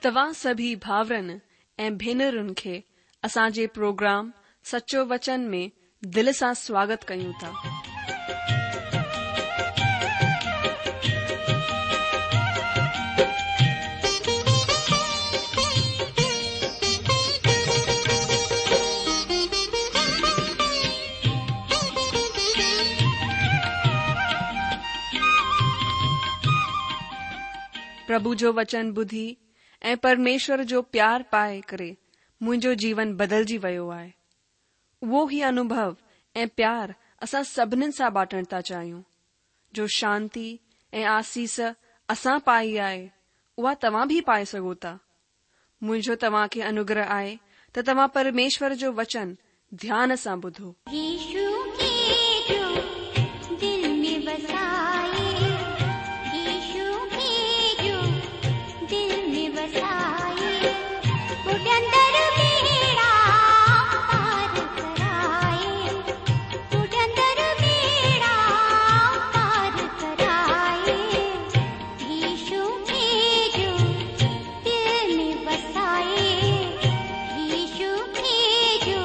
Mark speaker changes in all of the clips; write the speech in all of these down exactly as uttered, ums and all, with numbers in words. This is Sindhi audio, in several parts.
Speaker 1: توهان سڀئي ڀائرن ۽ ڀينرن کي اسان جي پروگرام سچو وچن ۾ دل سان سواگت ڪيون ٿا. پرڀو جو وچن ٻڌي ۽ پرميشور جو پيار پائي ڪري منهنجو جيون بدلجي ويو آهي. اهو ئي انوڀو ۽ پيار اسان سڀنين سان بانٽڻ ٿا چاهيون. جو شانتي ۽ آسيس اسان پائي آهي، اها توهان به پائي سگهو ٿا. منهنجو توهان کي انوگره آهي ته توهان پرميشور جو وچن ڌيان سان ٻڌو.
Speaker 2: يشو کي جو دل ۾ وسائي، يشو کي جو دل ۾ وسائي، ٻڏندڙ ٻيڙا پار ڪرائي، ٻڏندڙ ٻيڙا پار ڪرائي، يشو کي جو دل ۾ وسائي، يشو کي جو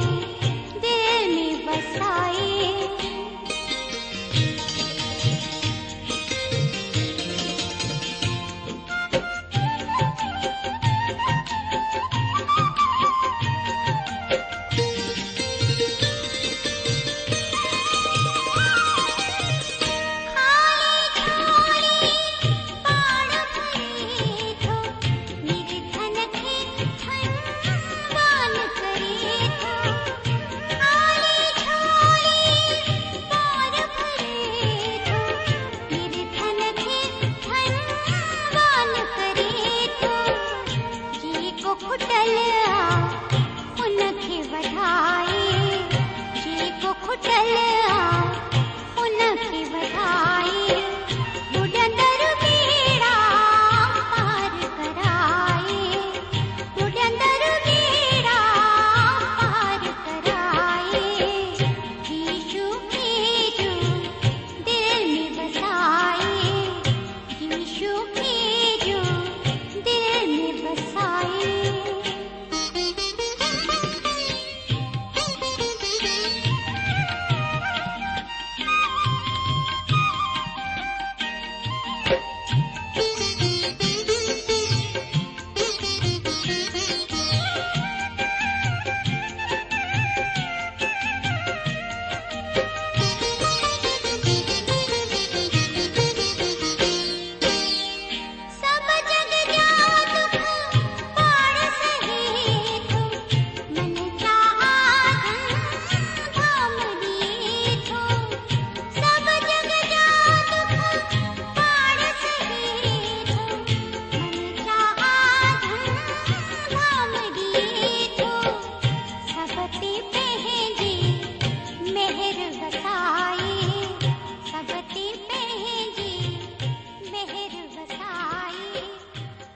Speaker 2: دل ۾ وسائي. خالي جهولي پاڻ ڀري ٿو، نرڌن کي ڌنوان ڪري ٿو. خالي جهولي پاڻ ڀري ٿو، نرڌن کي ڌنوان ڪري ٿو. جيڪو کٽل آ ان کي وڌائي، جيڪو کٽل آ ان کي وڌائي، ٻڏندڙ ٻيڙا پار ڪرائي، ٻڏندڙ ٻيڙا پار ڪرائي، يشو کي جو دل ۾ وسائي، يشو کي جو دل ۾ وسائي. سڀ جڳ جا دک پاڻ سهي ٿو، من چاها ڌن ڌام ڏئي ٿو. سڀ جڳ جا دک پاڻ سهي ٿو، من چاها ڌن ڌام ڏئي ٿو. سڀ تي پنهنجي مهر وسائي، سڀ تي پنهنجي مهر وسائي،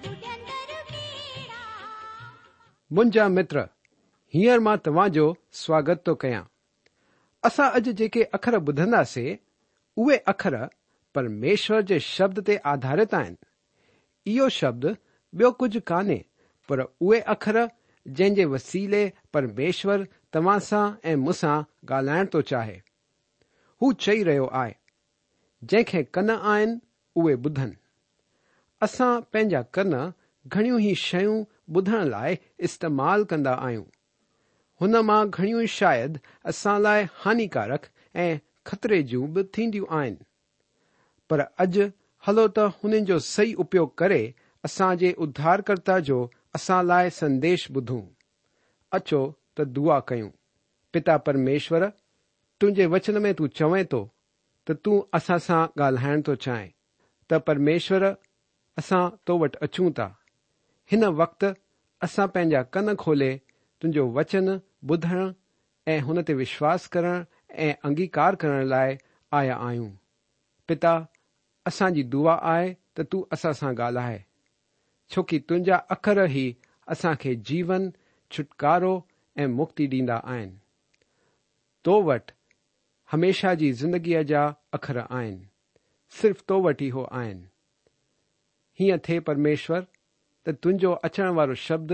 Speaker 2: ٻڏندڙ ٻيڙا.
Speaker 3: منهنجا متر، هينئر مان توهان جو سواگت ٿو ڪيان. اسان اڄ جيڪي اکر ٻڌنداسين، اهي اکر پرميشور جي شبد تي آڌارت آهن. اهو شبد ٻيو ڪجهه ڪانهي، پر اهي اکر جنهن جي وسيلي پرميشور توهان سان ۽ مون سان ڳالهائڻ ٿو چاهي. هو چئي رهيو آهي، جنهن کي ڪن آهن اهي ٻڌن. اسان پنهنجا ڪن گهڻيون ئي شيون ٻڌڻ لاءِ استعمال ڪندا آهيون. هن مان گهڻيون شايد اسان لاءِ هانيڪارڪ ۽ خطري جون به ٿينديون آهن. پر اڄ هلو ته هنن جو صحيح اپيوگ ڪري اسان جي اڌارڪرتا جو اسان لاءِ سنديش ٻڌون. اچو ته دعا ڪيون. پتا پرميشور، تنهنجي وچن ۾ تون چوين ٿو ته تون اسان سان ڳالهائڻ ٿو چاهين. ته پرميشور، اسان تو وٽ اچون ٿا. هن وقت اسان پنهنجا ڪن کولي تنهنجو وچن ٻڌڻ ۽ هن تي وشواس ڪرڻ ۽ انگيڪار ڪرڻ لاءِ آيا آهيون. پتا، اسان جي دعا آهي ته تون اسان سان ڳالهائي، ڇو ڪه تنهنجا اکر ئي اسان کي جيون، ڇوٽڪارو ۽ مڪتي ڏيندا آهن. تو وٽ هميشه جي زندگيءَ جا اکر آهن، صرف تو وٽ ئي هو آهن. هيئن ٿئي پرميشور، ته تنهنجو اچڻ وارو شبد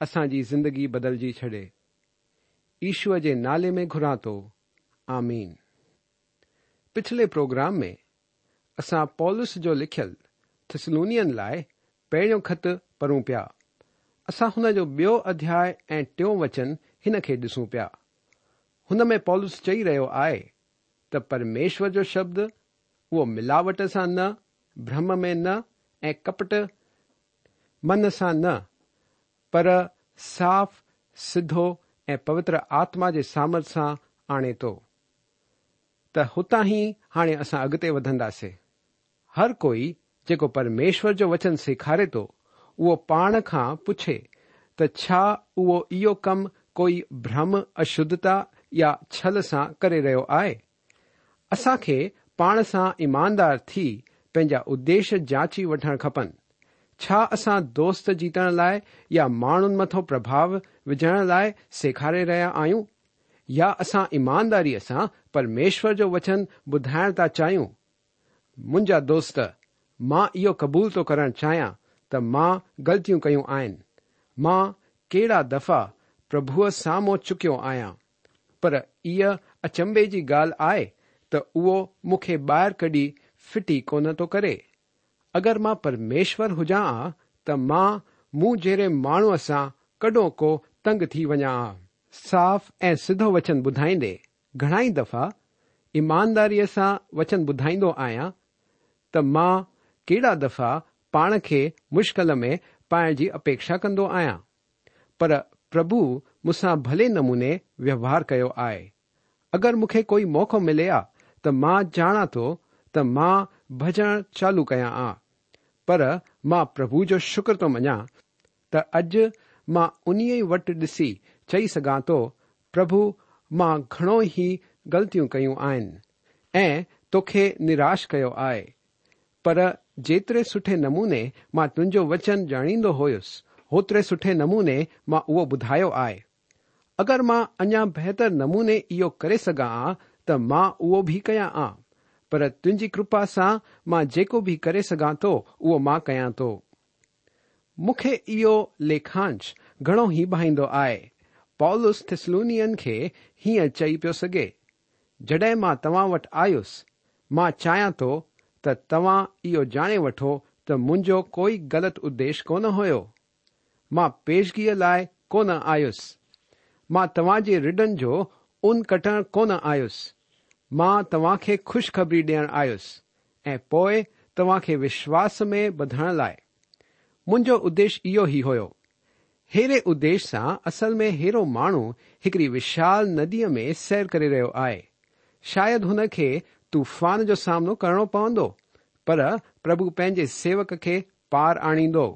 Speaker 3: اسان جي زندگي بدلجي ڇڏي. يشوء جي نالي ۾ گهران ٿو، آمين. پڇلي پروگرام ۾ اسان پولس جو لکيل ٿسلونين لاءِ پهريون خط پڙهون پيا. اسان هن جو ٻيو اڌياءُ ۽ ٽيون وچن هن کي ڏسون پيا. هن ۾ پولس چئي رهيو آهي ته پرميشور جو شبد اهو ملاوٽ سان نه، ڀرم ۾ نه ۽ ڪپٽ من سان نه، پر صاف، سڌو ۽ پوتر آتما جي سامرٿ سان آڻي ٿو. ته هتان ئي هاڻي اسان اڳتي وڌنداسين. هر ڪوئي جيڪو پرميشور جو وچن سيکاري ٿو، اهو پاڻ کان پڇي ته ڇا اهو اهو ڪم ڪوئي ڀرم، اشڌتا يا ڇل سان ڪري رهيو آهي؟ اسان کي پاڻ سان ايماندار ٿي پنهنجا اديش جاچي وٺڻ کپن. ڇا اسان دوست جيتڻ لاءِ يا ماڻهن مٿان پرڀاءُ وجهڻ لاءِ سيکاري رهيا آهيون، يا اسان ايمانداريءَ سان پرميشور جو وچن ٻڌائڻ ٿا چاهيون؟ منهنجا دوست، مان اهو قبول ٿو ڪرڻ چاهيان ته مان غلطيون ڪيون آهن. مان ڪهڙا دفعا پرڀوءَ سامهون چڪيو آهيان، پر اها اچنڀي جي ڳالهه آهي ته اهو مون کي ٻاهر ڪڍي ڦٽي ڪونه ٿو ڪري. اگر مان پرميشور هجان ها ته مان مون جهڙي ماڻهوءَ سان ڪڏهن ڪو تنگ ٿي وڃان ها. صاف ۽ سڌو وچن ٻڌائيندي گهڻا ئي دفعا ايمانداريءَ سان وچن ٻڌائيندو آهيان ته مان ڪهڙا دفعا پاڻ کي مشڪل ۾ پائڻ جي اپيڪشا ڪندو آهيان، پر پرڀو مون سان ڀلي نموني ويوهار ڪيو آهي. اگر مون کي ڪوئي موقعو ملي ها ته مان ڄاڻان ٿو ته مان ڀڄڻ چالو ڪيان ها، پر مان پرڀو جو شڪر ٿو مڃان ته اڄ مان انهيءَ وٽ ڏسي چئي سگهان ٿو، پرڀو مان گهڻو ئي غلطيون ڪيون آهن ۽ توکي نراش ڪيو آهي، پر جيتري سٺي نموني مان تنهنجو وچن ڄاڻيندو هيس، هوتري سٺي نموني مان اهو ٻڌايو آهي. اگر مان اڃا بهتر نموني اهو ڪري سگهان ها ته مان اهو به ڪيان ها، پر تنهنجي ڪرپا سان مان جيڪو به ڪري سگهان ٿو اهو مان ڪيان ٿو. مون کي اهو ليکانش گهڻو ئي ڀائيندو آهي. پولس ٿسلونين کي هيئن چئي پيو سگهي، جڏهن مان توهان وٽ آيس، مان چاهيان ٿو ته توهان اهو ڄاڻي وٺو ته منهنجو ڪوئي غلط اديش ڪونه هيو. مان پيشگيءَ لاءِ ڪونه آيس. مان توهان جي رڍن جو اون ڪٽڻ ڪونه آيس. مان توهان کي خوشخبري ڏيڻ آيس ۽ پوءِ توهان کي وشواس ۾ ٻڌڻ لاءِ. منهنجو اديش اهو ئي هيو. ههڙي اديش سان اصل ۾ ههڙو ماڻهو هڪڙي وشال نديءَ ۾ سير ڪري رهيو آهي. شايد هن کي طوفان جو سامنو ڪرڻو پوندو، پر پرڀو پنهنجي سيوڪ کي پار آڻيندو.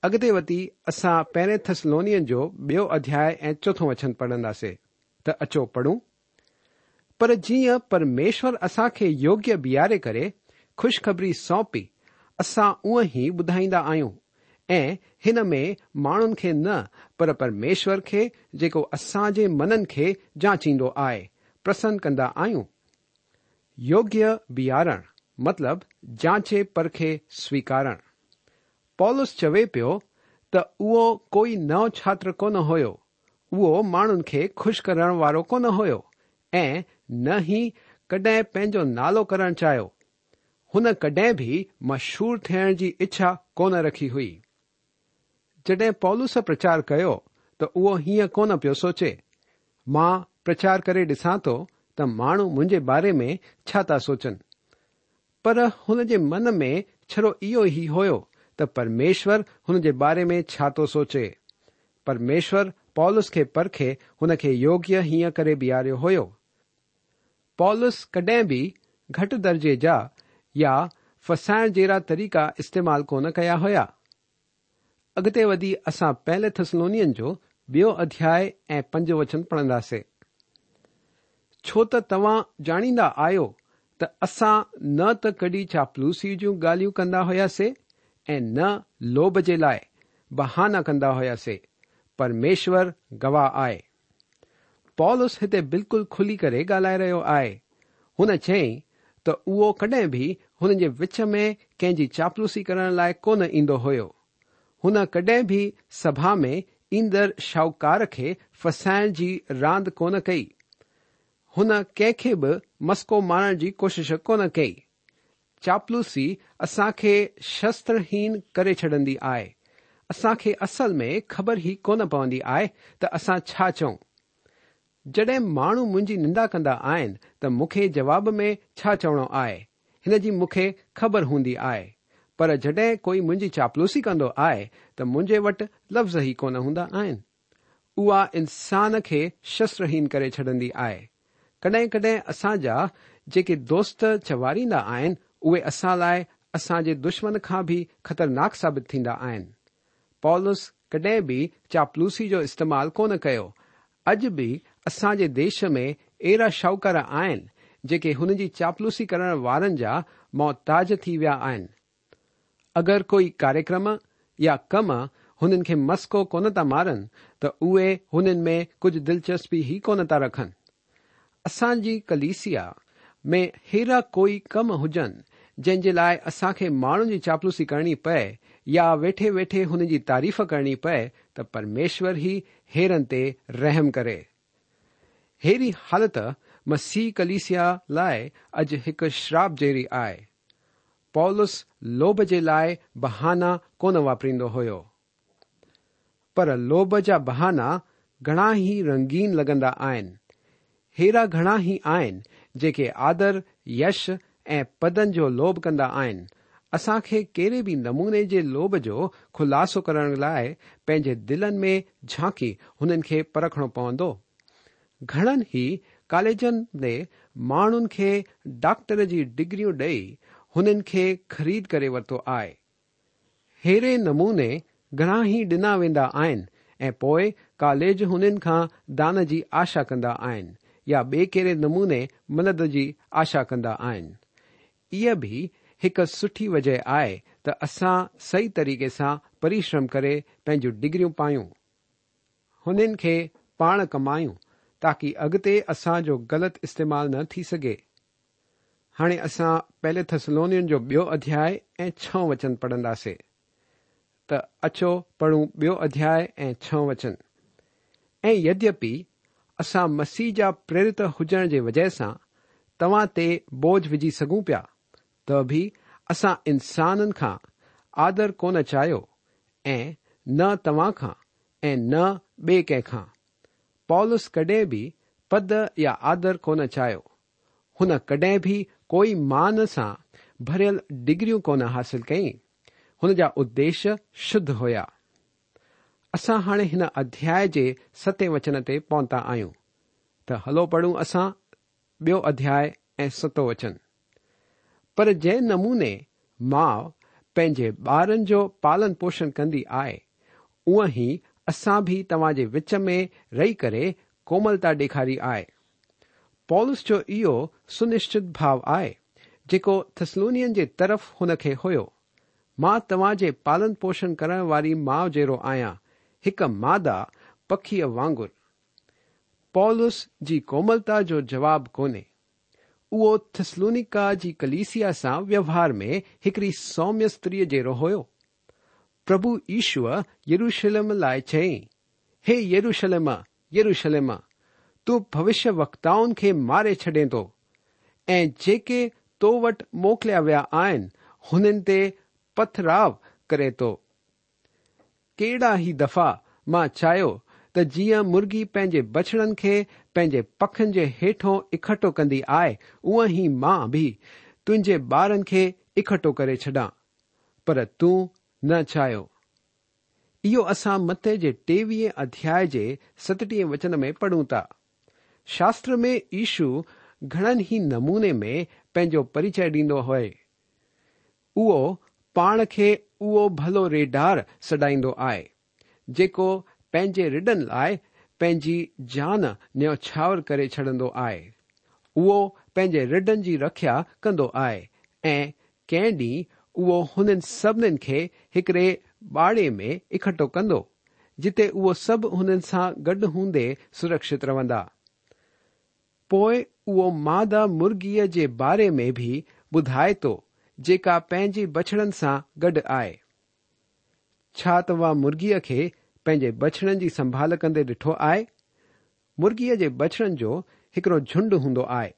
Speaker 3: اڳتي وڌي اسان پهرين ٿسلونين جو ٻيو اڌياءُ ۽ چوٿون وچن پڙهنداسين ته اچو پڙهون. پر جيئن پرميشور اسان کي يوگيه بيهاري ڪري خوشخبري سونپي، اسان اونئن ئي ٻڌائيندا آهيون ۽ هن ۾ ماڻهن کي نه پر پرميشور کي جيڪو اسان جي منن کي جاچيندو آهي پرسن ڪندا آهيون. يوگيه بيهارڻ مطلب جاچي پرکي سويڪارڻ. پولس چوي پيو ته اهو ڪوئي نئون ڇاتر ڪونه هيو، اهو ماڻهن کي خوش ڪرڻ وارو ڪونه هيو ۽ نه ئي ڪڏهن پنهنجو نالو ڪرڻ چاهيو. هن ڪڏهن به مشهور ٿيڻ جي اڇا ڪونه رکي هئي. جڏهن پولس پرچار ڪيو ته اهو هيئن ڪونه پيو سوچي، مان پرچار ڪري ڏسان ٿو ته ماڻهو منهنجي باري ۾ ڇا ٿا سوچن، پر هن جي من ۾ ڇڙو اهو ئي هيو ته پرميشور هن جي باري ۾ ڇا ٿو سوچي. پرميشور پولس کي پرکي هن کي يوگيه هيئن ڪري بيهاريو هيو. پولس ڪڏهن به گهٽ درجي جا يا ڦسائڻ جهڙا طريقا استعمال ڪونه ڪيا هيا. اڳتي وڌي اسان پهلي ٿسلونين جو ٻيو اڌياءُ ۽ پنج وچن پڙهنداسين. ڇو ته توهان ڄاڻيندا آهيو ته اسان نه ته ڪڏهن چاپلوسي جون ڳالهيون ڪندا هئاسين ۽ نه لوڀ جي لاءِ بهانا ڪندا هئاسين. پرميشور گواهه آهي. پولس هتي بلڪل کلي ڪري ڳالهائي رهيو آهي. هن چيائين ته اهو ڪڏهن به هن جي وچ ۾ ڪنهن جي چاپلوسي ڪرڻ لاءِ ڪونه ايندو هيو. هن ڪڏهن به سڀا ۾ ايندڙ شاهوڪار کي ڦسائڻ جي راند ڪونه ڪئي. هن ڪنهن کي به مسڪو مارڻ جي ڪوشش ڪونه ڪئي. چاپلوسي اسان کي شسترهين ڪري ڇڏندي آهي. اسان کي اصل ۾ خبر ئي ڪونه پوندي آهي ته اسان ڇا چئون. جڏهن ماڻهو منهنجي نندا ڪندا آهن ته مون کي جواب ۾ ڇا چوڻو آهي، هن جي مون کي خبر هوندي آهي. پر جڏهن ڪوئي منهنجي چاپلوسي ڪندو آهي ته منهنجي وٽ لفظ ئي ڪونه هوندا آهن. اها انسان کي شسترهين ڪري ڇڏندي آهي. ڪڏهن ڪڏهن اسان جا جيڪي دوست چواريندا آهن، اهي اسان لاءِ اسان جي دشمن کان به خطرناڪ ثابت ٿيندا آهن. پولس ڪڏهن به چاپلوسي جو استعمال ڪونه ڪيو. اڄ به اسان جي ديش ۾ اهڙا شاهوڪار آهن جيڪي هن جي چاپلوسي ڪرڻ وارن جا محتاج ٿي ويا آهن. اگر ڪوئي ڪاريڪرم يا ڪم هنن کي مسڪو ڪونه ٿا مارن ته اهي هنن ۾ ڪجهه دلچسپي ئي ڪونه ٿا رکن. اسان جي ڪليسيا ۾ ههڙا ڪوئي ڪم هجن جنهن جي لاءِ اسان کي ماڻهن جي چاپلوسي ڪرڻي پئي يا ويٺي ويٺي هن جي تعريف ڪرڻي پئي ته پرميشور ئي هيرن تي رحم ڪري. ههڙي حالت مسيح ڪليسيا لاءِ اڄ هڪ شراپ جهڙي آهي. پولس لوڀ جي لاءِ بهانا ڪونه واپريندو هيو، پر لوڀ جا بهانا گهڻا ئي رنگين لڳندا آهن. ههڙا گهڻا ئي آهن جيڪي آدر، يش ۽ پدن جو لوڀ ڪندا آهن. اسان کي ڪهڙي به نموني جي لوڀ جو خلاصو ڪرڻ لاءِ پنهنجي دلن ۾ جهانڪي هنن کي پرکڻو پوندو. گهڻن ئي ڪاليجن ۾ ماڻهن کي ڊاڪٽر جي ڊگريون ڏيئي هنن کي خريد ڪري ورتو آهي. ههڙي نموني گهڻا ئي ڏنا ويندا آهن ۽ پوءِ ڪاليج هنن کان دان جي آشا ڪندا آهن يا ٻئي ڪهڙي نموني مدد جي آشا ڪندا آهن. اها به هڪ سٺي وجهه آهي ته اسان صحيح طريقي سان پرشرم ڪري پنهنجون ڊگريون پايون، هنن کي پاڻ ڪمايون تاڪه اڳتي اسان جو غلط استعمال نه ٿي سگهي. هاڻي اسان پهلي ٿسلونين جو ٻيو اڌياءِ ۽ ڇهون وچن پڙهنداسين. ته اچو پڙهون ٻيو اڌياءِ ۽ ڇهون وچن. ۽ يديپي اسان مسيح جا پريرت هجڻ جي وجهه سان توهان تي بوجهه وجهي سگهون پيا، ته به اسان انسانن کان آدر ڪونه چاهيو ۽ نه توهان کان ۽ نه ٻئي ڪنهن کان. پولس ڪڏهن به پد يا آدر ڪونه چاهيو. هن ڪڏهن به ڪوئي مان سان ڀريل ڊگريون ڪونه حاصل ڪئي. هن جا اديش شڌ هيا. اسان هاڻي هن اڌياءِ جي ستين وچن تي پهتا آهيون. ته هلو پڙهون اسان ٻيو اڌياءِ ۽ ستون وچن. پر جنهن نموني ماءُ پنهنجي ٻارن جو پالن پوشڻ ڪندي آهي، اونئن ئي اسان به توهان جي وچ ۾ رهي ڪري ڪوملتا ڏيکاري آهي. پولس جو اهو سنشچت ڀاو آهي جيڪو ٿسلونين جي طرف هن کي هيو. مان توهان جي پالن پوشڻ ڪرڻ واري ماءُ جهڙو آهيان، هڪ مادا پکيءَ وانگر. پولس جي ڪوملتا جو جواب ڪونهي. اهو ٿسلونيڪا جي ڪليسيا سان ويوهار ۾ هڪڙي سوميه استريءَ جهڙو هيو. پرڀو يشوءَ يروشلم لاءِ چيائين، هي يروشلم، يروشلم، تون ڀوشيه وڪتائن کي ماري ڇڏين ٿو ۽ جيڪي تو وٽ موڪليا ويا آهن هنن تي پٿراءُ ڪري ٿو. ڪهڙا ئي دفعا مان چاهيو ته جيئن مرغي پنهنجي ٻچڙن کي پنهنجي پکن جي هيٺون اڪٺو ڪندي آهي، اونئن ئي مان به تنهنجي ٻارن کي اڪٺو ڪري ڇڏان، پر تون نه چاهيو. اهو اسان متي جي ٽيويهين اڌياءِ جي ستٽيهين وچن ۾ پڙهون ٿا. شاستر ۾ يشو گهڻن ئي نموني ۾ پنهنجو پريچي ڏيندو هئي. اهو پاڻ کي اهو ڀلو ريڍار سڏائيندو آهي، جيڪو پنهنجي رڍن لاءِ پنهنجي جان نيوڇاور ڪري ڇڏندو آهي. اهو پنهنجي رڍن جي رکيا ڪندو آهي ۽ ڪنهن ڏينهن اهو هنن سڀنين کي هڪڙي باڙي ۾ اڪٺو ڪندو، جتي اهو سڀ هنن سان گڏ هوندي سرڪشت رهندا. پوءِ اهو مادا مرغيءَ جي باري ۾ به ٻڌائي ٿو، جيڪا پنهنجي ٻچڙن سان گڏ آهي. ڇا توهان مرغيءَ کي پنهنجي بڇڙن جي سنڀال ڪندي ڏٺو آهي؟ مرغيءَ جي بڇڙن جو هڪڙو جهنڊ هوندو آهي.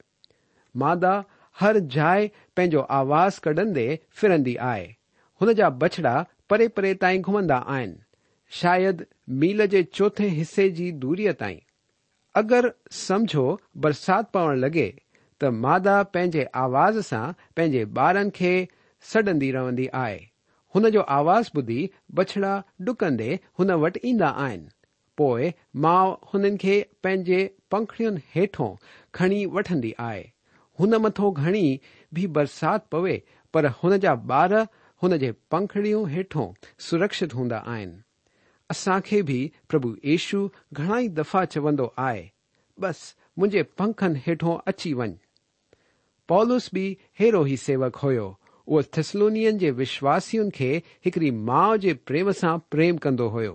Speaker 3: مادا هر جاءِ پنهنجو آواز ڪڍندي ڦرندي آهي. هن جا بڇڙا پري پري تائين گهمندا آهن، شايد ميل جي چوٿين حصي جي دوريءَ تائين. اگر سمجهو برسات پوڻ لڳي ته مادا پنهنجي آواز سان پنهنجي ٻارن کي سڏندي رهندي آهي. هن جو آواز ٻڌي بڇڙا ڊڪندي هن وٽ ايندا آهن. پوءِ ماءُ هنن کي پنهنجي پنکڙين هيٺون کڻي وٺندي آهي. هن مٿان گهڻي به برسات پوي پر هن جا ٻار هن جي پنکڙيون هيٺون سرڪشت هوندا آهن. اسان کي به پرڀو يشو گهڻا ئي دفعا چوندو آهي، بس منهنجي پنکن هيٺون اچي وڃ. پولس به ههڙو ئي سيوڪ هيو. اهو ٿيسلونين جي وشواسين کي هڪڙي ماءُ جي پريم سان پريم ڪندو هيو.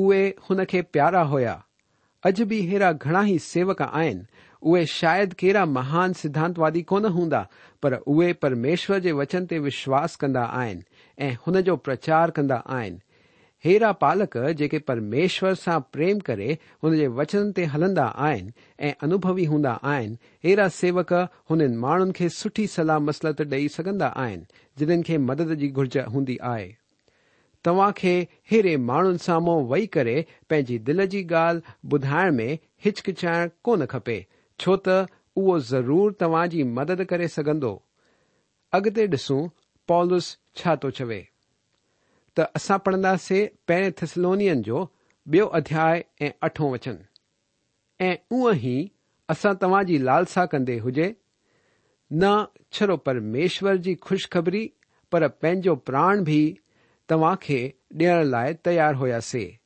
Speaker 3: اهي هن کي پيارا هيا. اڄ به ههڙا گهڻا ئي سيوڪ آهن. اهي شايد ڪهڙا مهان سڌانتوادي ڪونه هوندا، پر اهي پرميشور جي وچن تي وشواس ڪندا آهن ۽ هن جو پرچار ڪندا آهن. ههڙا پالڪ جيڪي پرميشور سان پريم ڪري هن جي وچن تي هلندا آهن ۽ انوڀوي هوندا آهن، ههڙا سيوڪ هنن ماڻهن کي سٺي صلاح مسلت ڏيئي سگهندا آهن جنهن کي مدد جي گهرج هوندي آهي. توهان کي ههڙي ماڻهن سامهون ويهي ڪري پنهنجي دل جي ڳالهه ٻڌائڻ ۾ هچڪچائڻ ڪونه کپي، ڇو ته اهو ضرور توهان جي مدد ڪري سگهندو. اڳتي ڏسون پولس ڇا ٿو چوي. ته اسان پڙهنداسين پهرين ٿيسلونين جو ٻيو اڌياءِ ۽ اٺون وچن. ۽ اونئن ئي اسان توهان جي لالسا ڪندي هجي، نه ڇڙو پرميشور جي خوشخبري پر پنهنجو پراڻ به توهان کي ڏيڻ لاءِ تيار هئاسين،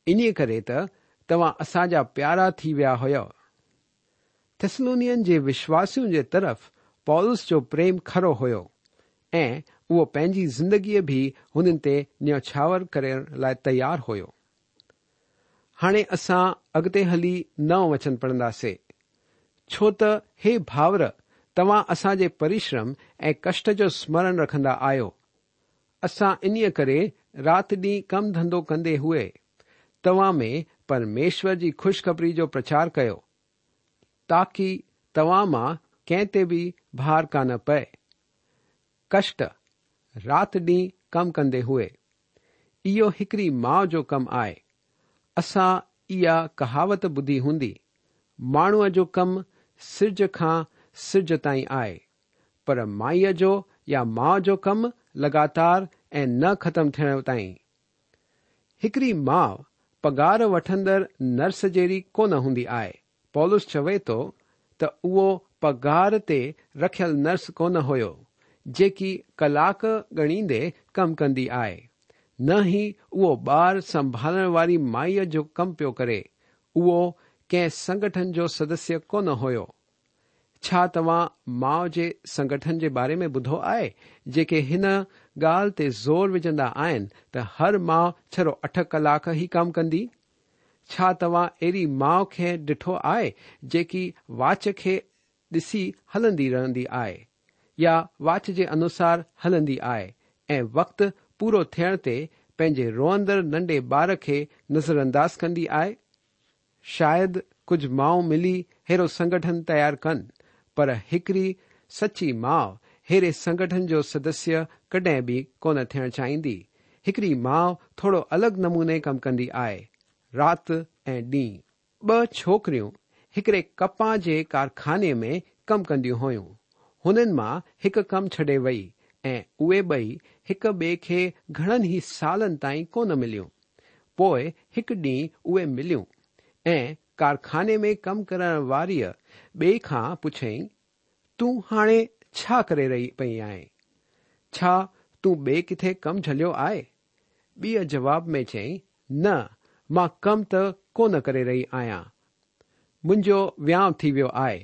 Speaker 3: انهيءَ ڪري ته توهان اسان جا پيارا ٿي ويا هئا. ٿيسلونين جي وشواسين جي طرف پولس جو پريم کرو هيو ۽ اهو پنهنجي زندگيءَ به هنن تي نيوڇاور ڪرڻ لاءِ تيار هيو. هاڻي اسان اڳتي هلي نئون وچن پڙهنداسين. ڇو ته هي ڀائر، توهان اسان جي پرشرم ۽ ڪشٽ جو سمرڻ رکندا آهيو. اسان انهيءَ ڪري رات ڏينهن ڪم ڌنڌو ڪندي هئي توهان ۾ پرميشور جي خوشخبري جو پرچار ڪيو، تاڪه توهان مان ڪنهن تي به ڀار ڪانه پئي. ڪشٽ رات ڏينهن ڪم ڪندي هئي، اهو هڪڙي ماءُ جو ڪم آهي. اسان اها ڪهاوت ٻڌي هوندي، ماڻهوءَ جو ڪم سج کان سج تائين آهي، پر مائيءَ جو يا ماءُ جو ڪم لڳاتار ۽ نه ختم ٿيڻ تائين. هڪڙي ماءُ پگهار وٺندڙ نرس جهڙي ڪونه هوندي آهي. پولس چوي ٿو ته اهو پگهار تي رکيل نرس ڪونه هيو، جيڪي ڪلاڪ ڳڻيندي ڪم ڪندي آهي. نه ئي اهو ٻار سنڀالڻ واري مائيءَ جو ڪم پيو ڪري. اهو ڪنهن سنگٺن جو سدسيه ڪونه هيو. ڇا توهان ماءُ جي سنگٺن جي باري ۾ ٻڌو آهي، جيڪي هن ڳالهه تي زور وجهندا آهن ته هر ماءُ ڇڙو اٺ ڪلاڪ ئي ڪم ڪندي؟ ڇا توهان اهڙي ماءُ کي ڏٺو آهي جيڪي واچ کي ڏسي هلندي رهندي آهي يا واچ جي انوسار هلندي آهي ۽ وقت پورو ٿيڻ تي پنهنجي روئندڙ ننڍي ٻار کي نظرانداز ڪندي آهي؟ شايد ڪجهه مائون ملي ههڙو سنگٺن تيار ڪن، پر هڪڙي سچي ماءُ ههڙي سنگٺن جو سدسيه ڪڏهن به ڪونه ٿيڻ چاهيندي. هڪڙي ماءُ ٿورو الڳ نموني ڪم ڪندي آهي، رات ۽ ڏينهن. ٻه ڇوڪريون هڪڙي ڪپهه جي ڪارخاني ۾ ڪم ڪنديون هيون. هنن مان هڪ ڪم ڇڏي وئي ۽ اهي ٻئي هڪ ٻئي کي گهڻن ئي سالن تائين ڪونه مليون. پوءِ هڪ ڏينهن اهي مليون ۽ ڪارخاني ۾ ڪم ڪرڻ واريءَ ٻئي کان پڇيائين، تون هاڻي ڇا ڪري رهي پئي آهين؟ ڇا تون ٻئي ڪٿي ڪم جهليو آهي؟ ٻيءَ جواب ۾ چيائين، نه، مان ڪم ته ڪونه ڪري رهي آهيان. منهنجو وهانءُ ٿي ويو آهي.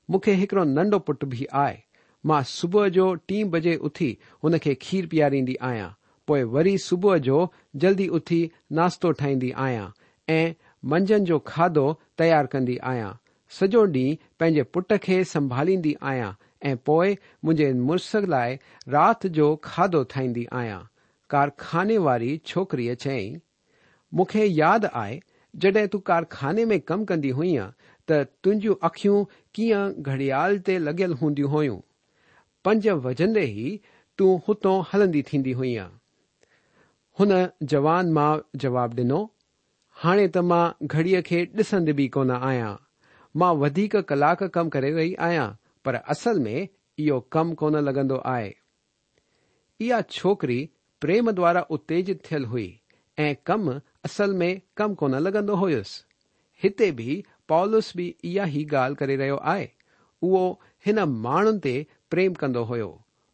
Speaker 3: مون کي هڪڙو ننڍو پٽ به آهي. مان صبح جو ٽين بجي اٿي هن کي کير پياريندي آهيان، پوءِ وري صبح جو جلدي اٿي ناشتو ٺاهيندي آهيان ۽ منجهند جو کاڌو تيار ڪندي آهيان. سڄو ڏينهن پنهنجي پٽ کي سنڀاليندي آهيان ۽ پوءِ منهنجي مڙس لاءِ رات جو کاڌو ٺاهيندي آهيان. ڪارخاني واري ڇوڪريءَ چيائين، مون کي ياد آهي جڏهن تون ڪارخاني ۾ ڪم ڪندي هئينء ته تنهنجون اکيون ڪيئن گهڙيال تي لڳيل هونديون هيون. پنج وڄندي ئي تون هتان هلندي ٿيندي هئينء. هن جوان ماءُ جواب ڏنو، هاڻي ته مان گهڙيءَ کي ڏسندي به ڪونه آهيان. مان وڌيڪ ڪلاڪ ڪم ڪري رهي آهيان، پر اصل ۾ اهو ڪم ڪونه لڳندو آهي. اها ڇوڪري پريم دوارا اتيجت ٿيل هئي ۽ ڪم اصل ۾ ڪم ڪونه لڳندو هيس. هتي به پولس به اها ئي ڳالهه ڪري رهيو آهي. اهو هن ماڻهن تي پريم ڪندو هيو.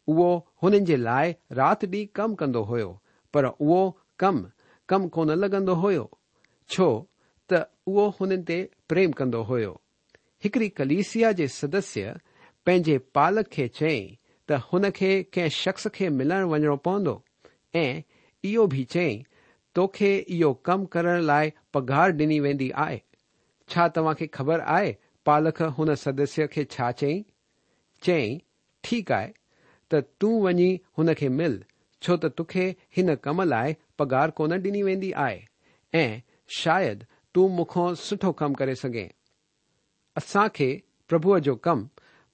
Speaker 3: اهو هنن جي لاءِ رات ڏينهن ڪم ڪندو هيو، پر اهو ڪم ڪم ڪونه لڳندو هيو، ڇو ته اهو هنن تي پريم ڪندو هيو. هڪڙي ڪليسيا جي سدسيه پنهنجي پالڪ کي چيائين ته هن کي ڪنهن شخص کي ملڻ وڃڻو پوندو ۽ اهو به چيائين توکي اهو ڪم ڪرڻ لاءِ پگهار ڏني ويندي آهي. ڇا توهان کي خبر آهي پالڪ هن سدسيه کي ڇا چيائين؟ چيائين، ٺيڪ آهي ته تون وڃي هن کي مل، ڇو ته توکي هن ڪم لاءِ پگهار ڪونه ڏني ويندي آهي ۽ شايد تون مون کان سٺو ڪم ڪري سگهين. اسان کي پرڀوءَ جو ڪم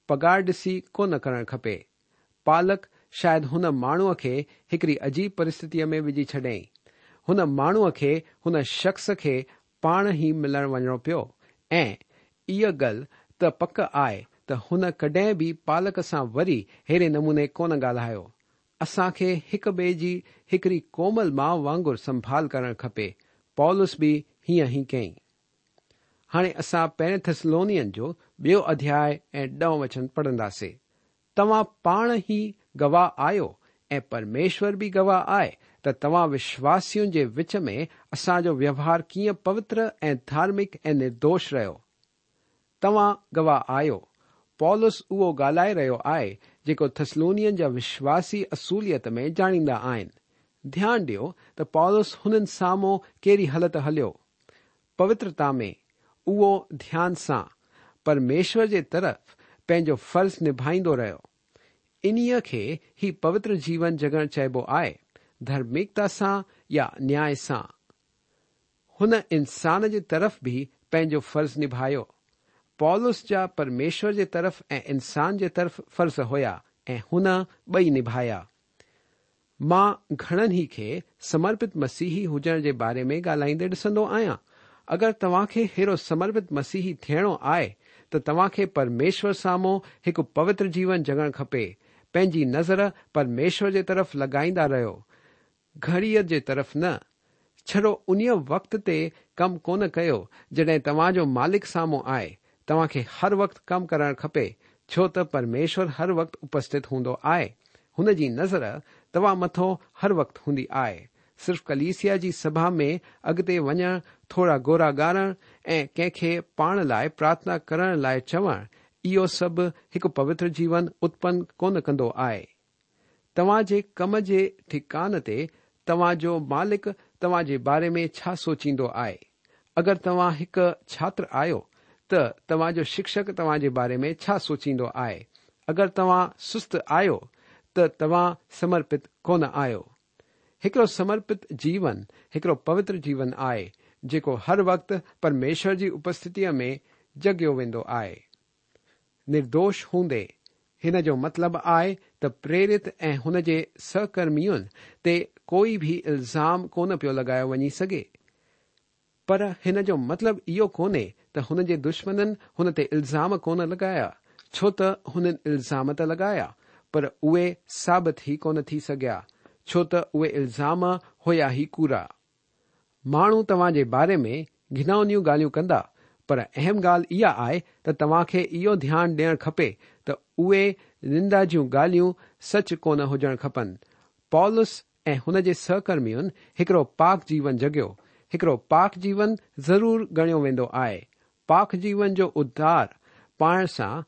Speaker 3: پگهار ڏسي ڪونه ڪرڻ کپي. پالڪ شايد هن ماڻهوءَ کي هڪڙي عجيب پرسٿتيءَ ۾ وجهي ڇڏيائين. هن ماڻهوءَ کي هن شخص کي پاڻ ئي ملڻ وڃڻو پيو ۽ اها ڳالهه ته پڪ آهي ته هن ڪڏهن به پالڪ سان وري ههڙي نموني ڪونه ڳالهايو. اسان کي هڪ ٻئي جي هڪڙي ڪومل ماءُ وانگر سنڀال ڪرڻ کپي. پولس به هيئن ئي ڪيائين. هاڻي اسان پهرين ٿيسلونين جو ٻيو اڌياءُ ۽ ڏهون وچن پڙهنداسين. توهان پاڻ ئي گواهه آهيو ۽ پرميشور به گواهه آهي ته توهان وشواسين جي وچ ۾ اسان جو ويوهار ڪيئن پوتر ۽ ڌارمڪ ۽ نردوش رهيو. توهان گواهه آهيو. پولس اهو ڳالهائي رهيو آهي جيڪو ٿيسلونين جا وشواسي اصليت ۾ ڄاڻيندا آهن. ڌيان ڏيو ته پولس هنن سامهون ڪهڙي هلت هليو. پوترتا ۾ اهو ڌيان سان پرميشور جي طرف پنهنجو فرض نڀائيندو رهيو. انهيءَ کي ئي پوتر جيون جڳڻ چئبو آهي، ڌارمڪتا سان يا نياءِ سان. هن انسان جي طرف به پنهنجو فرض نڀايو. پولس جا پرميشور جي طرف ۽ انسان جي طرف فرض هيا ۽ هن ٻئي نڀايا. مان گهڻن ئي کي سمرپت مسيحي هجڻ جي باري ۾ ڳالهائيندي ڏسندو آهيان. اگر توهان کي ههڙو سمرپت مسيحي ٿيڻو آهي ته توهان کي پرميشور سامهون هڪ پوتر جيون جڳڻ کپي. پنهنجي نظر پرميشور جي طرف لڳائيندا رهيو، گهڙيءَ جي طرف نه. ڇڙو انهيءَ وقت تي ڪم ڪونه ڪيو جڏهن توهان جو مالڪ سامهون آهي. توهان کي هر وقت ڪم ڪرڻ کپي، ڇو ته پرميشور هر وقت اپسٿت هوندو آهي. هن جي نظر توهان مٿان هر وقت هوندي آهي. صرف ڪليسيا جي سڀا ۾ اڳتي وڃڻ، ٿورا ڳوڙها ڳاڙڻ ۽ ڪنهن کي پاڻ لاءِ پرارٿنا ڪرڻ لاءِ چوڻ، اهو سڀ هڪ پوتر جيون اتپن ڪونه ڪندو آهي. توهان جي ڪم جي ٺڪان تي توهان جو مالڪ توهان جي باري ۾ ڇا سوچيندو آهي؟ اگر توهان هڪ ڇاتر آهيو ته توهان جو شڪشڪ توهان جي باري ۾ ڇا سوچيندو آهي؟ اگر توهان سست آهيو ته توهان سمرپت ڪونه آهيو. هڪڙو سمرپت جيون هڪڙو پوتر جيون آهي جيڪو هر وقت پرميشور جي اپسٿتيءَ ۾ جڳيو ويندو آهي. نردوش هوندي هن جو مطلب آهي ته پريرت ۽ هن جي سهڪرمين تي ڪوئي به الزام ڪونه پيو لڳايو وڃي سگهي. پر هن جو مطلب اهو ڪونهي ته هن جي دشمنن هن تي الزام ڪونه لڳايا، ڇو ته هنن الزام ته لڳايا، پر اهي ثابت ئي ڪونه ٿي سگهيا، ڇو ته اهي الزام هيا ئي ڪوڙا. ماڻهو توهان جي باري ۾ گهناونيون ڳالهيون ڪندا، پر اهم ڳالهه اها آهي ته توهان کي اهو ڌيان ڏيڻ کپي ته اهي نندا جون ڳالهيون سچ ڪونه هجڻ کپن. پولس ۽ هن جي سهڪرمين هڪڙو پاڪ جيون جڳيو. هڪڙو پاڪ جيون ضرور ڳڻيو ويندو آهي. پاڪ جيون جو اڌار پائڻ سان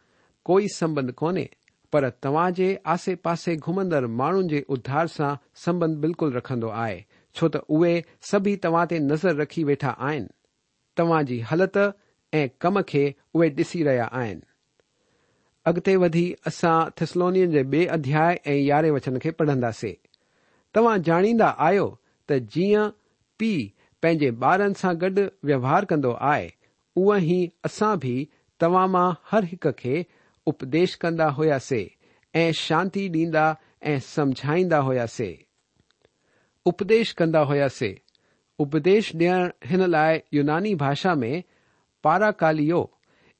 Speaker 3: ڪوئي سنٻنڌ ڪونهي، پر توهان جي آسي پاسي گهمندڙ ماڻهن جي اڌار سان سنٻنڌ بلڪل رکندو آهي، ڇو ته اهي سڀئي توهان تي نظر رکي ويٺا آهن. توهان جي هلت ۽ ڪم کي اهي ڏسي رهيا آهن. اڳتي وڌي اسان ٿيسلونين جي ٻئي اڌياءُ ۽ يارهين وچن کي پڙهنداسين. توهان ڄاڻيندا آهيو ته جيئن پيءُ پنهنجي ٻارن سان گڏ ويوهار ڪندو آهي، اونئن ئي اسان به توهان مان هر هڪ کي اپديش ڪندا هئاسي ۽ شانتي ڏيندا ۽ سمجهائيندا هئاسي. اپديش ڪندا هئاسي. اپديش ڏيڻ هن لاءِ يوناني ڀاشا ۾ پاراڪاليو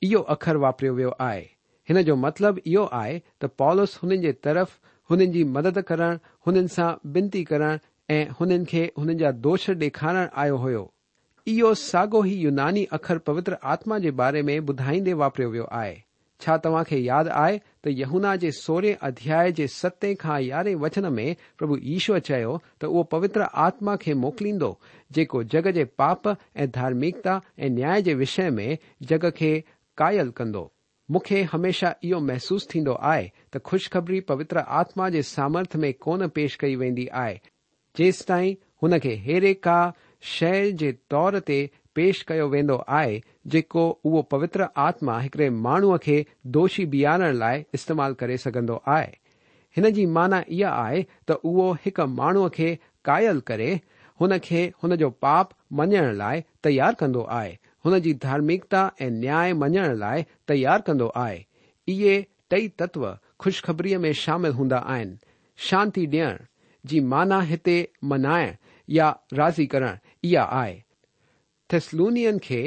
Speaker 3: اهو اکر واپريو ويو آهي. هن جو مطلب اهو آهي ته پولس هنن جي طرف هنن جي مدد ڪرڻ، هنن سان بنتي ڪرڻ ۽ هنن کي هنن جا دوش ڏيکارڻ آيو هيو. اهو ساڳيو ئي يوناني اکر پوتر آتما جي باري ۾ ٻڌائيندي واپريو ويو آهي. ڇا توهان کي ياد آهي ته يوحنا جي سورهين اڌياءِ جي ستين کان يارهين وچن ۾ پرڀو يشوء چيو ته اهو پوتر آتما کي موڪليندو جيڪو جڳ جي پاپ ۽ ڌارمڪتا ۽ نياء جي وشي ۾ جڳ کي قائل ڪندو. مون کي هميشه اهو محسوس ٿيندو آهي ته خوشخبري پوتر آتما جي سامرٿ ۾ ڪونه پيش ڪئي ويندي آهي، جيستائين هن کي هيڙي ڪا شيءِ جي طور تي پيش ڪيو ويندو آهي جيڪو اهو پوتر آتما هڪڙي ماڻهوءَ کي دوشي بيهارڻ لاءِ استعمال ڪري سگهندو آهي. هن جي معنيٰ اها آهي ته اهو هڪ ماڻهوءَ کي قائل ڪري هن کي هن جو پاپ مڃڻ لاءِ تيار ڪندو آهي، هن جي ڌارمڪتا ۽ نياءُ مڃڻ لاءِ تيار ڪندو آهي. اهي ٽئي تتو خوشخبريءَ ۾ شامل هوندا آهن. شانتي ڏيڻ جي معنيٰ هتي منائڻ يا راضي ڪرڻ اها آهي. ٿيسلونين کي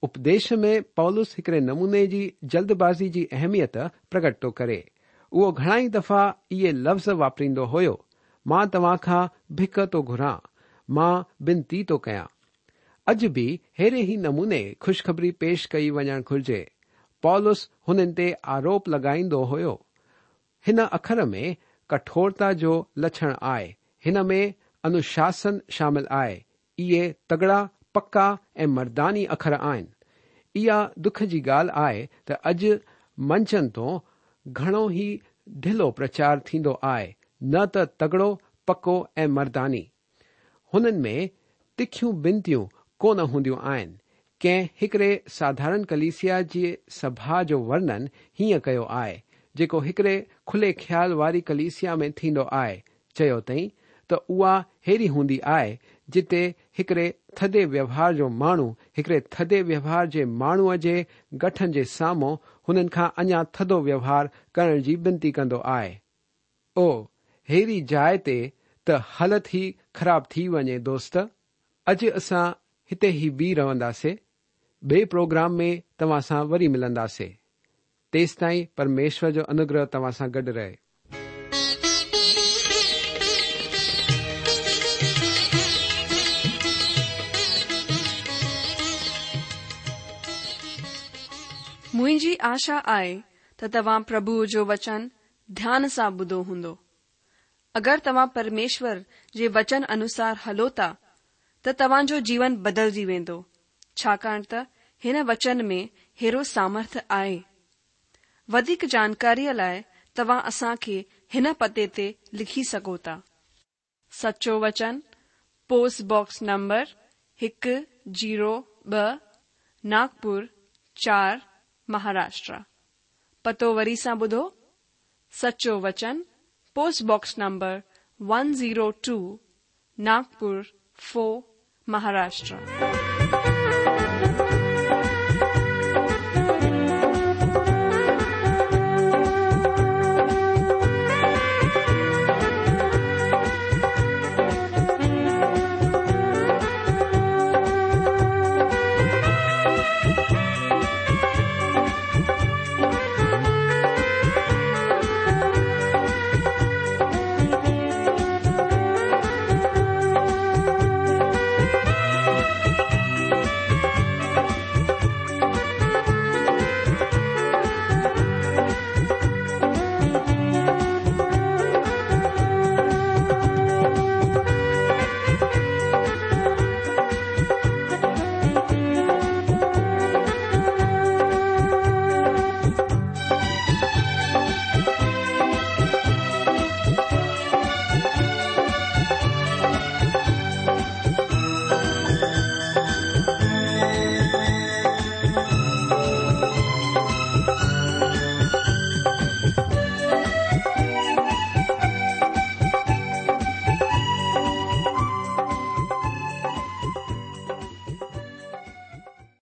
Speaker 3: اپديش ۾ پولس هڪڙي نموني جي جلدبازي جي اهميت پرگٽ ٿو ڪري. اهو گهڻا ئي دفعا اهي لفظ واپريندو هيو، مان توهان کان ڀڪ ٿو گهران، مان بنتي ٿو ڪيان. اڄ به ههڙي ئي نموني خوشخبري پيش ڪئي وڃڻ گهرجي. پولس هنن تي آروپ لڳائيندو هيو. هن اکر ۾ ڪٺورتا جو لڇڻ آهي. هن ۾ انوشاسن شامل آهي. اهي تگڙا، پڪا ۽ مرداني اکر آهن. اها دک جي ڳالهه آهي ته اڄ منچن تون گهڻو ئي ڍلو پرچار ٿيندو آهي، نه ته تگڙو، پڪو ۽ مرداني. هنن ۾ تکيون بنتيون ڪونه هونديون آهن. ڪنهن هڪڙي ساڌارڻ ڪليسيا جي سڀا جو ورڻن هيئن ڪيو آهي، جيڪو هڪڙي کلي خيال واري ڪليسيا ۾ ٿيندو آهي. چيو اٿئي ته اها هيڙي هوندي آهي جتي هڪڙي ٿڌي ويوهار جو ماڻهو هڪڙي ٿڌي ويوهار جي ماڻهوءَ جي گٺن جي سامهون هنن کان اڃا ٿڌو ويوهار ڪرڻ جي بنتي ڪندو آهي. او هيڙي جاءِ تي ته حالت ئي خراب ٿي وڃي دوست. اڄ اسان هتي ئي بيهه رهنداسين. ٻئي پروگرام ۾ توهان سان وري ملنداسين. تيستائين پرميشور جو انوگرهه توهان سان گڏ رهي.
Speaker 1: منهنجي آشا آهي ته توهان پرڀوءَ جو وچن ڌيان سان ٻڌو هوندو. اگر توهان پرميشور جي وچن انوسار هلو ٿا ته توهان جو جيون بدلجي ويندو، ڇاڪاڻ ته هن وچن ۾ هيڙو سامرٿ آهي. وڌيڪ جانڪاريءَ لاءِ توهان اسان کي هن پتي تي لکي سگهو ٿا. سچو وچن، پوسٽ باڪس نمبر هڪ زيرو ٻه، ناگپور چار، مهاراشٽر. پتو وري سان ٻڌو، سچو وچن، post box number one zero two, Nagpur four, Maharashtra.